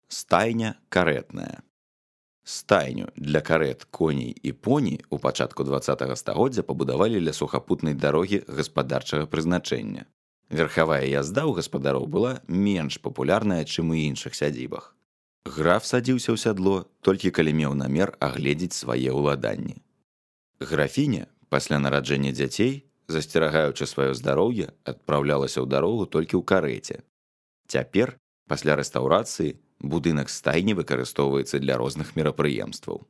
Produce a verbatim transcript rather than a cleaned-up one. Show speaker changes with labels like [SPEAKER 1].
[SPEAKER 1] Стайня карэтная. Стайню для карэт, коней і поні ў пачатку дваццатага стагоддзя пабудавалі ля сухапутнай дарогі гаспадарчага прызначэння. Верхавая язда ў гаспадароў была менш папулярная, чым у іншых сядзібах. Граф садзіўся ў сядло толькі калі меў намер агледзець свае ўладанні. Графіня, пасля нараджэння дзяцей, засцерагаючы сваё здароўе, адпраўлялася ў дарогу толькі ў карэце. Цяпер, пасля рэстаўрацыі, будынак стайні выкарыстоўваецца для розных мерапрыемстваў.